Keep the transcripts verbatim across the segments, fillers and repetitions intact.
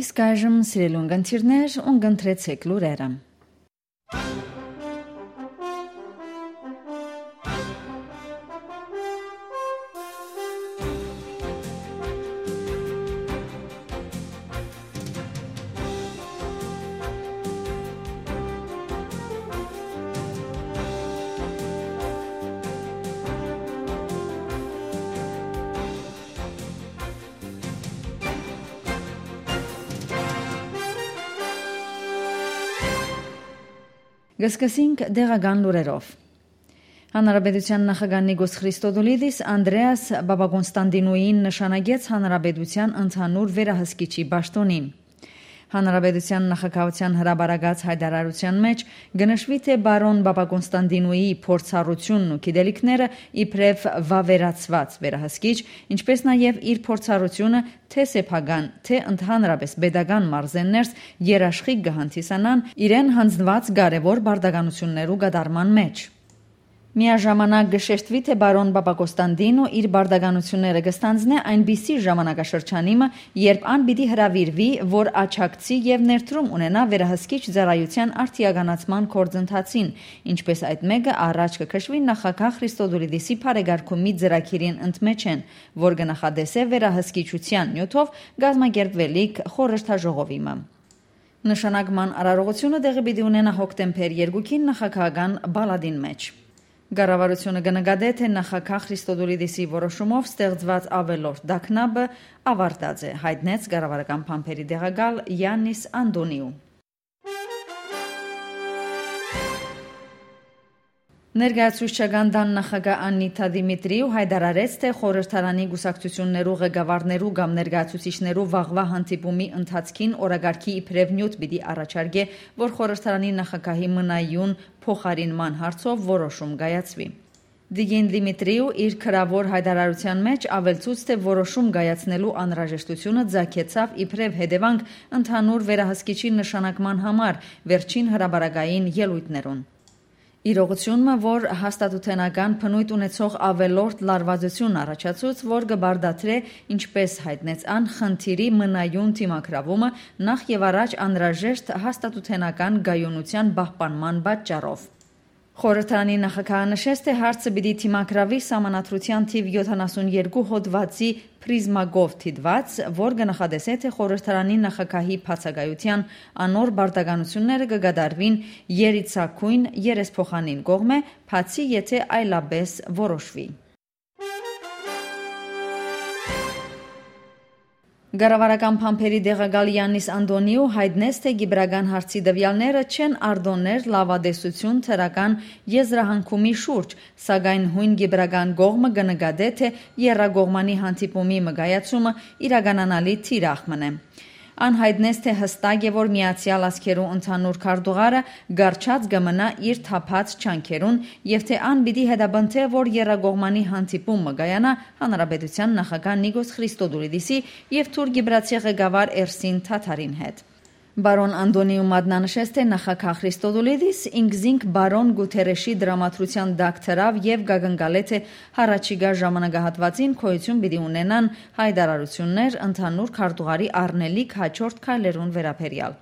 Իսկ այժմ, սիրելի ունգընտիրներ, ունգընտրեցէք լուրերը։ Կը սկսենք տեղական լուրերով։ Հանրապետութեան նախագահ Նիկոս Խրիստոդուլիդիս Անդրեաս Պապակոնստանտինոյին նշանակեց հանրապետութեան ընդհանուր վերահսկիչի պաշտօնին։ Հանրապետութեան նախագահութեան հրապարակած յայտարարութեան մէջ կը նշուի, թէ պարոն Պապակոնստանտինոյի փորձառութիւնն ու գիտելիքները իբրեւ վաւերացուած վերահսկիչ, ինչպէս նաեւ իր փորձառութիւնը թէ սեփական, թէ ընդհանրապէս պետական մարզերներս երաշխիք կը հանդիսանան իրեն յանձնուած կարեւոր պարտականութիւններու կատարման մէջ։ Միաժամանակ կը շեշտուի, թէ պարոն Պապակոստանտինո իր պարտականութիւնները կը ստանձնէ այնպիսի ժամանակաշրջանի մը, երբ ան պիտի հրաւիրուի, որ աջակցի եւ ներդրում ունենայ վերահսկիչ ծառայութեան արդիականացման գործընթացին, ինչպէս այդ մէկը առաջ կը քշուի նախագահ Խրիստոդուլիդիսի բարեկարգումի ծրագիրին ընդմէջէն, որ կը նախատեսէ վերահսկիչութեան նիւթով կազմակերպուելիք խորհրդաժողովի մը։ Նշանակման արարողութիւնը տեղի պիտի ունենայ հոկտեմբեր երկուին նախագահական պալատին մէջ։ Կառավարութիւնը կը նկատէ, թէ նախագահ Խրիստոդուլիդիսի որոշումով ստեղծուած աւելորդ տագնապը աւարտած է, յայտնեց կառավարական բանբերի տեղակալ Յաննիս Անտոնիու։ Ներկայացուցչական տան նախագահ Աննիթա Դիմիտրիու յայտարարեց, թէ խորհրդարանի կուսակցութիւններու ղեկավարներու կամ ներկայացուցիչներու վաղուայ հանդիպումի ընթացքին օրակարգի իբրեւ նիւթ պիտի առաջարկէ, որ խորհրդարանի նախագահի մնայուն փոխարինման հարցով որոշում կայացուի։ Տիկին Դիմիտրիու իր գրաւոր յայտարարութեան մէջ աւելցուց, թէ որոշում կայացնելու անհրաժեշտութիւնը ծագեցաւ իբրեւ հետեւանք ընդհանուր վերահսկիչի նշանակման համար վերջին հրապարակային ելոյթներուն։ Իրողութիւն մը, որ հաստատութենական բնոյթ ունեցող աւելորդ լարուածութիւն առաջացուց, որ կը պարտադրէ, ինչպէս յայտնեց ան, խնդիրի մնայուն դիմագրաւումը նախ եւ առաջ անհրաժեշտ հաստատութենական կայունութեան պահպանման պատճառով։ Խորհրդարանի նախագահը նշեց, թէ հարցը պիտի դիմագրաւի Սահմանադրութեան թիւ յոթանասուն երկու հոդուածի պրիզմակով դիտուած, որ կը նախատեսէ, թէ խորհրդարանի նախագահի բացակայութեան անոր պարտականութիւնները կը կատարուին երիցակոյն երեսփոխանին կողմէ, բացի եթէ այլապէս որոշուի։ Կառավարական բանբերի տեղակալ Յաննիս Անտոնիու յայտնեց, թէ կիպրական հարցի տուեալները չեն արտոններ լաւատեսութիւն դրական եզրահանգումի շուրջ, սակայն յոյն կիպրական կողմը կը նկատէ, թէ եռակողմանի հանդիպումի մը կայացումը իրականանալի թիրախ մըն է։ Ան յայտնեց, թէ յստակ է, որ Միացեալ Ազգերու ընդհանուր քարտուղարը կառչած կը մնայ իր թափած ջանքերուն եւ թէ ան պիտի հետապնդէ, որ եռակողմանի հանդիպում մը կայանայ հանրապետութեան նախագահ Նիկոս Խրիստոդուլիդիսի եւ թուրք-կիպրացի ղեկավար Էրսին Թաթարին հետ։ Պարոն Անտոնիու մատնանշեց, թէ նախագահ Խրիստոդուլիդիս ինքզինք պարոն Գութերեշի տրամադրութեան տակ դրաւ եւ կակնկալէ, թէ յառաջիկայ ժամանակահատուածին գոյութիւն պիտի ունենան յայտարարութիւններ ընդհանուր քարտուղարի առնելիք յաջորդ քայլերուն վերաբերեալ։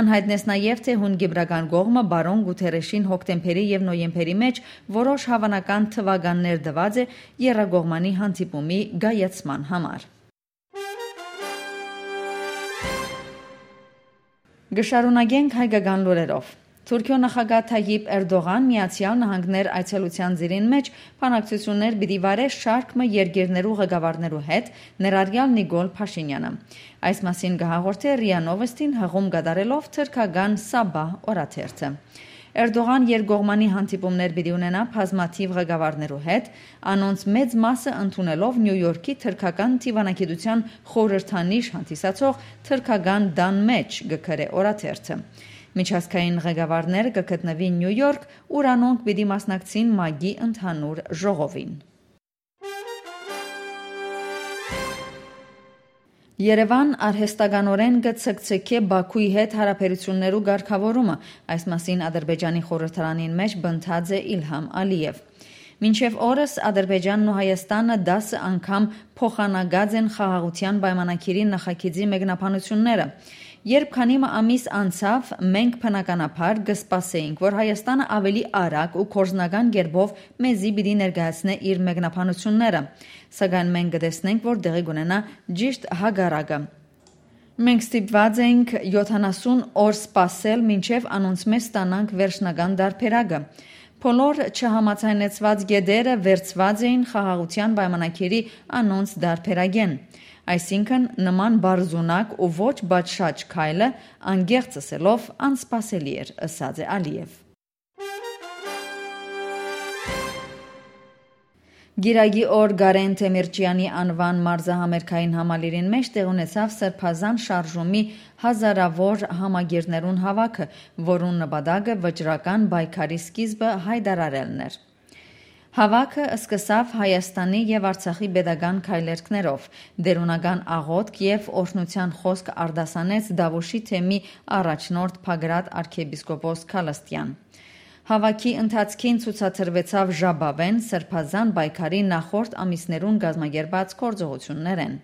Ան յայտնեց նաեւ, թէ յոյն կիպրական կողմը պարոն Գութերեշին հոկտեմբերի եւ նոյեմբերի մէջ որոշ հաւանական թուականներ տուած է եռակողմանի հանդիպումի կայացման համար։ Կը շարունակենք հայկական լուրերով։ Թուրքիոյ նախագահ Թայիպ Էրդողան Միացեալ Նահանգներ այցելութեան ծիրին մէջ բանակցութիւններ պիտի վարէ շարք մը երկիրներու ղեկավարներու հետ, ներառյալ Նիկոլ Փաշինեանը։ Այս մասին կը հաղորդէ րիա Նովըստին հղում կատարելով թրքական Սաբա օրաթերթը։ Էրդողան երկկողմանի հանդիպումներ պիտի ունենայ բազմաթիւ ղեկավարներու հետ, անոնց մեծ մասը ընդունելով Նիու Յորքի թրքական դիվանագիտութեան խորհրդանիշ հանդիսացող թրքական տան մէջ, կը գրէ օրաթերթը։ Միջազգային ղեկավարները կը գտնուին Նիու Յորք, ուր անոնք պիտի մասնակցին մակի ընդհանուր ժողովին։ Երեւան արհեստականօրէն կը ցկցկէ Բաքուի հետ յարաբերութիւններու կարգաւորումը։ Այս մասին Ադրբեջանի խորհրդարանին մէջ պնդած է Իլհամ Ալիեւ։ Մինչեւ օրս Ադրբեջանն ու Հայաստանը տասը անգամ փոխանակած են խաղաղութեան պայմանագիրի նախագիծի մեկնաբանութիւնները։ Երբ քանի մը ամիս անցաւ, մենք բնականաբար կը սպասէինք, որ Հայաստանը աւելի արագ ու գործնական կերպով մեզի պիտի ներկայացնէ իր մեկնաբանութիւնները, սակայն մենք կը տեսնենք, որ տեղի կունենայ ճիշդ հակառակը։ Մենք ստիպուած ենք յոթանասուն օր սպասել, մինչեւ անոնցմէ ստանանք վերջնական տարբերակը։ Բոլոր չհամաձայնեցուած կետերը վերցուած էին խաղաղութեան պայմանագիրի անոնց տարբերակէն։ Այսինքն, նման պարզունակ ու ոչ պատշաճ քայլը, անկեղծ ըսելով, անսպասելի էր, ըսած է Ալիեւ։ Կիրակի օր Կարեն Թեմիրճեանի անուան մարզահամերգային համալիրին մէջ տեղի ունեցաւ Սրբազան շարժումի հազարաւոր համակիրներուն հաւաքը, որուն նպատակը վճռական պայքարի սկիզբը յայտարարելն էր։ Հաւաքը սկսաւ Հայաստանի եւ Արցախի պետական քայլերգներով, տէրունական աղօթք եւ օրհնութեան խօսք արտասանեց Դաւուշի թեմի առաջնորդ Բագրատ արքեպիսկոպոս Քալըստեան։ Հաւաքի ընթացքին ցուցադրուեցաւ ժապաւէն Սրբազան պայքարի նախորդ ամիսներուն կազմակերպած գործողութիւններէն։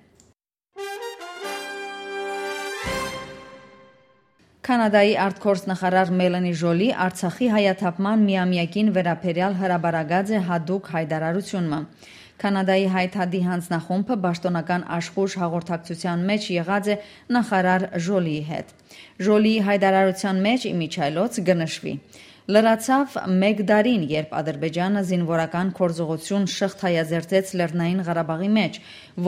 Քանադայի արտգործնախարար Մելանի Ժոլի Արցախի հայաթափման միամեակին վերաբերեալ հրապարակած է յատուկ յայտարարութիւն մը։ Քանադայի Հայ Դատի յանձնախումբը պաշտօնական աշխոյժ հաղորդակցութեան մէջ եղած է նախարար Ժոլիի հետ։ Ժոլիի յայտարարութեան մէջ ի միջայլոց կը նշուի. «Լրացաւ մէկ տարին, երբ Ադրբեջանը զինուորական գործողութիւն շղթայաձերծեց Լեռնային Ղարաբաղի մէջ,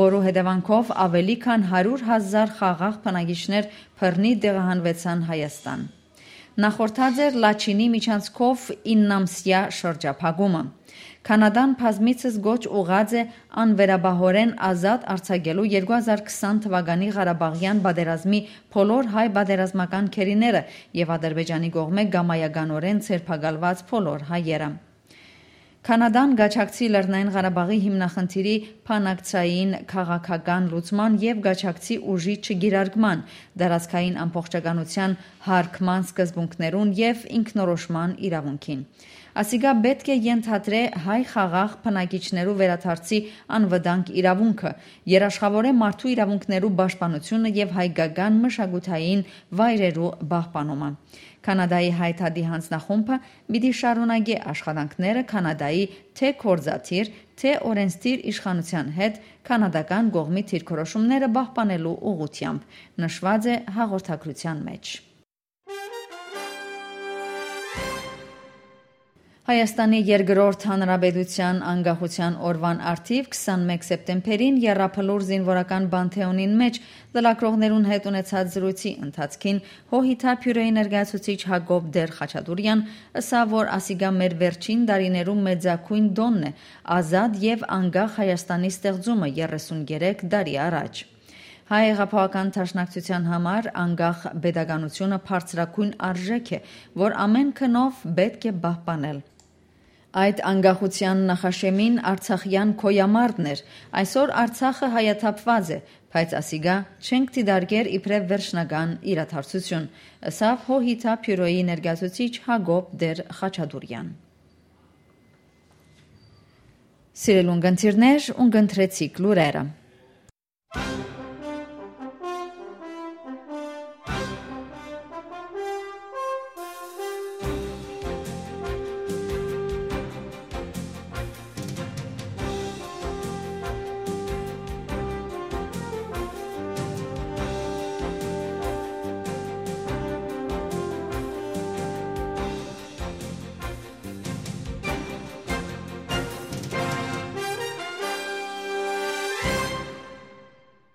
որու հետեւանքով աւելի քան հարիւր հազար խաղաղ բնակիչներ բռնի տեղահանուեցան Հայաստան»։ Նախորդած էր Լաչինի միջանցքով իննամսեայ շրջափակումը։ Քանադան բազմիցս կոչ ուղղած է անվերապահօրէն ազատ արձակելու երկու հազար քսան թուականի Ղարաբաղեան պատերազմի բոլոր հայ պատերազմական գերիները եւ Ադրբեջանի կողմէ կամայականօրէն ձերբակալուած բոլոր հայերը։ Քանադան կ'աջակցի Լեռնային Ղարաբաղի հիմնախնդիրի բանակցային քաղաքական լուծման եւ կ'աջակցի ուժի չկիրարկման, տարածքային ամբողջականութեան յարգման սկզբունքներուն եւ ինքնորոշման իրաւունքին։ Ասիկա պէտք է ենթադրէ հայ խաղաղ բնակիչներու վերադարձի անվտանգ իրաւունքը, երաշխաւորէ մարդու իրաւունքներու պաշտպանութիւնը եւ հայկական մշակութային վայրերու պահպանումը։ Քանադայի Հայ Դատի յանձնախումբը պիտի շարունակէ աշխատանքները Քանադայի թէ գործադիր, թէ օրենսդիր իշխանութեան հետ քանադական կողմի դիրքորոշումները պահպանելու ուղղութեամբ, նշուած է հաղորդագրութեան մէջ։ Հայաստանի երկրորդ հանրապետութեան անկախութեան օրուան առթիւ քսանմէկ սեպտեմբերին Եռաբլուր զինուորական Պանթէոնին մէջ լրագրողներուն հետ ունեցած զրույցի ընթացքին Հոհիթա բիւրոյի ներկայացուցիչ Յակոբ Տեր Խաչատուրեան ըսաւ, որ ասիկա մեր վերջին տարիներու մեծագոյն տօնն է, ազատ եւ անկախ Հայաստանի ստեղծումը երեսուն երեք տարի առաջ։ Հայ հեղափոխական դաշնակցութեան համար անկախ պետականութիւնը բարձրագոյն արժէք է, որ ամէն գնով պէտք է պահպանել։ Այդ անկախութեան նախաշեմին արցախեան գոյամարտն էր, այսօր Արցախը հայաթափուած է, բայց ասիկա չենք դիտարկեր իբրեւ վերջնական իրադարձութիւն, ըսաւ Հոհիթա բիւրոյի ներկայացուցիչ Յակոբ Տեր Խաչատուրեան։ Սիրելի ունգընտիրներ, ունգընտրեցիք լուրերը։